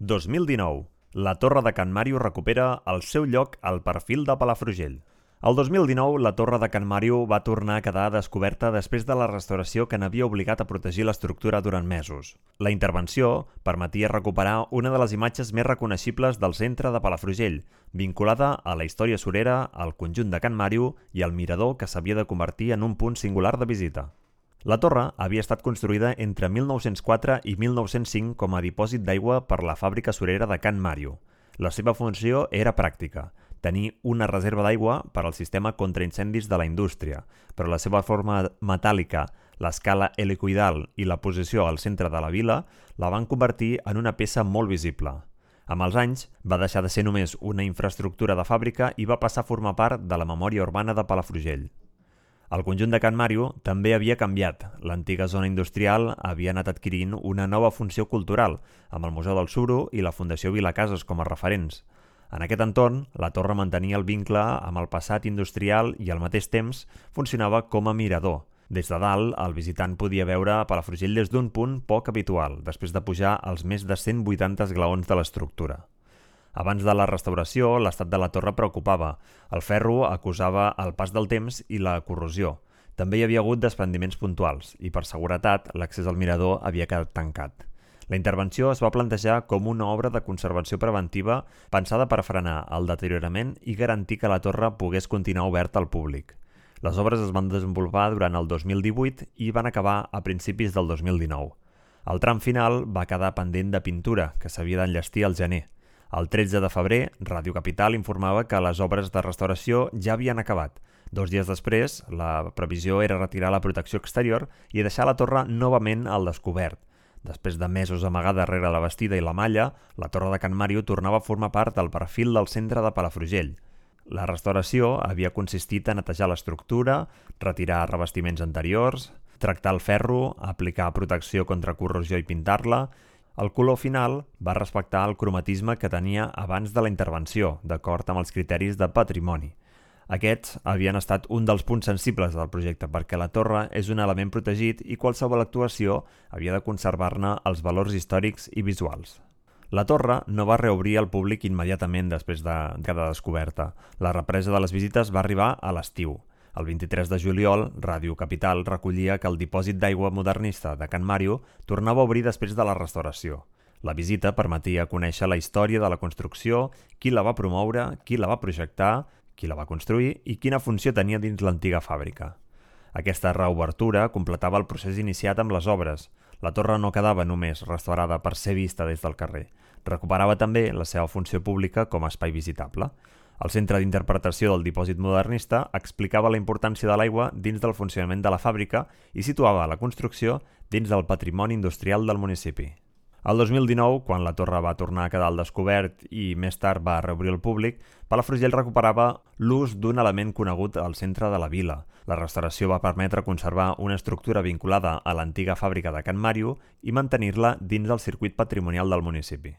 2019. La Torre de Can Màrio recupera el seu lloc al perfil de Palafrugell. El 2019, la Torre de Can Màrio va tornar a quedar descoberta després de la restauració que n'havia obligat a protegir l'estructura durant mesos. La intervenció permetia recuperar una de les imatges més reconeixibles del centre de Palafrugell, vinculada a la història surera, al conjunt de Can Màrio i al mirador que s'havia de convertir en un punt singular de visita. La torre havia estat construïda entre 1904 i 1905 com a dipòsit d'aigua per la fàbrica surera de Can Màrio. La seva funció era pràctica, tenir una reserva d'aigua per al sistema contra incendis de la indústria, però la seva forma metàl·lica, l'escala helicoidal i la posició al centre de la vila la van convertir en una peça molt visible. Amb els anys, va deixar de ser només una infraestructura de fàbrica i va passar a formar part de la memòria urbana de Palafrugell. El conjunt de Can Màrio també havia canviat. L'antiga zona industrial havia anat adquirint una nova funció cultural, amb el Museu del Suro i la Fundació Vilacases com a referents. En aquest entorn, la torre mantenia el vincle amb el passat industrial i al mateix temps funcionava com a mirador. Des de dalt, el visitant podia veure Palafrugell des d'un punt poc habitual, després de pujar als més de 180 esglaons de l'estructura. Abans de la restauració, l'estat de la torre preocupava. El ferro acusava el pas del temps i la corrosió. També hi havia hagut desprendiments puntuals i, per seguretat, l'accés al mirador havia quedat tancat. La intervenció es va plantejar com una obra de conservació preventiva pensada per frenar el deteriorament i garantir que la torre pogués continuar oberta al públic. Les obres es van desenvolupar durant el 2018 i van acabar a principis del 2019. El tram final va quedar pendent de pintura, que s'havia d'enllestir al gener. El 13 de febrer, Ràdio Capital informava que les obres de restauració ja havien acabat. 2 dies després, la previsió era retirar la protecció exterior i deixar la torre novament al descobert. Després de mesos amagada darrere la bastida i la malla, la Torre de Can Màrio tornava a formar part del perfil del centre de Palafrugell. La restauració havia consistit a netejar l'estructura, retirar revestiments anteriors, tractar el ferro, aplicar protecció contra corrosió i pintar-la. El color final va respectar el cromatisme que tenia abans de la intervenció, d'acord amb els criteris de patrimoni. Aquests havien estat un dels punts sensibles del projecte perquè la torre és un element protegit i qualsevol actuació havia de conservar-ne els valors històrics i visuals. La torre no va reobrir al públic immediatament després de quedar descoberta. La represa de les visites va arribar a l'estiu. El 23 de juliol, Ràdio Capital recollia que el dipòsit d'aigua modernista de Can Màrio tornava a obrir després de la restauració. La visita permetia conèixer la història de la construcció, qui la va promoure, qui la va projectar, qui la va construir i quina funció tenia dins l'antiga fàbrica. Aquesta reobertura completava el procés iniciat amb les obres. La torre no quedava només restaurada per ser vista des del carrer. Recuperava també la seva funció pública com a espai visitable. El centre d'interpretació del dipòsit modernista explicava la importància de l'aigua dins del funcionament de la fàbrica i situava la construcció dins del patrimoni industrial del municipi. El 2019, quan la torre va tornar a quedar al descobert i més tard va reobrir al públic, Palafrugell recuperava l'ús d'un element conegut al centre de la vila. La restauració va permetre conservar una estructura vinculada a l'antiga fàbrica de Can Màrio i mantenir-la dins del circuit patrimonial del municipi.